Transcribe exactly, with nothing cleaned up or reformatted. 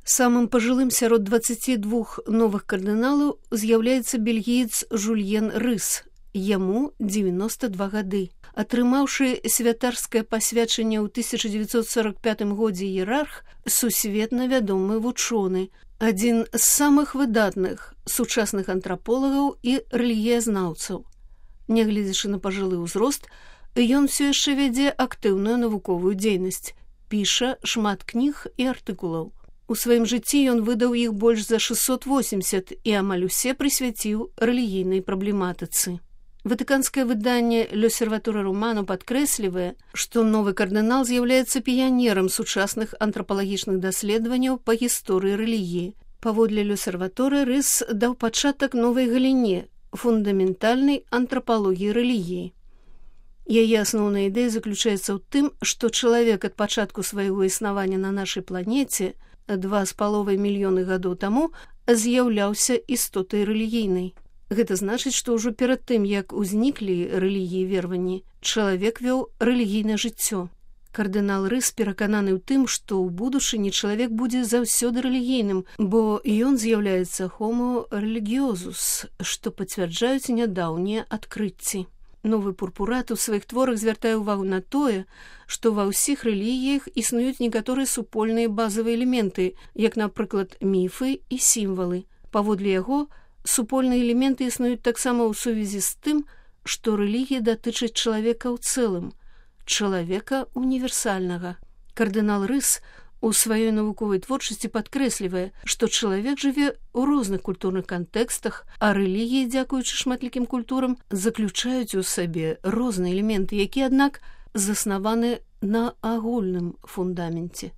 Самым пажылым сярод дваццаці двух новых кардыналаў з'яўляецца бельгіец Жульен Рыс. Яму дзевяноста два гады. Атрымаўшы святарскае пасвячанне ў тысяча дзевяцьсот сорок пятым годзе іерарх, сусветна вядомы вучоны, адзін з самых выдатных сучасных антраполагаў і рэлігіязнаўцаў. Нягледзячы на пажылы ўзрост, ён усё яшчэ вядзе актыўную навуковую дзейнасць, піша шмат кніг і артыкулаў. У сваім жыцці ён выдаў іх больш за шэсцьсот восемьдесят і амаль усе прысвяціў рэлігійнай праблематыцы. Ватыканскае выданне «L'Osservatore Romano» падкрэслівае, што новы кардынал з'яўляецца піянерам сучасных антрапалагічных даследаванняў па гісторыі рэлігіі. Паводле «L'Osservatore» Рыс даў пачатак новай галіне – фундаментальнай антрапалогіі рэлігіі. Яе асноўная ідэя заключаецца ў тым, што чалавек ад пачатку свайго існавання на нашай планеце два з паловай мільёны гадоў таму з'яўляўся істотай рэлігійнай. Гэта значыць, што ўжо перад тым, як узніклі рэлігіі вераванні, чалавек вёў рэлігійнае жыццё. Кардынал Рыс перакананы ў тым, што ў будучыні чалавек будзе заўсёды рэлігійным, бо ён з'яўляецца homo religiosus, што пацвярджаюць нядаўнія адкрыцці. Новы пурпурат у сваіх творах звяртае ўвагу на тое, што ва ўсіх рэлігіях існуюць некаторыя супольныя базавыя элементы, як, напрыклад, міфы і сімвалы. Паводле яго, супольныя элементы існуюць таксама ў сувязі з тым, што рэлігія датычыць чалавека ў цэлым, чалавека універсальнага. Кардынал Рыс у сваёй навуковай творчасці падкрэслівае, што чалавек жыве ў розных культурных кантэкстах, а рэлігіі, дзякуючы шматлікім культурам, заключаюць у сабе розныя элементы, якія, аднак, заснаваны на агульным фундаменце.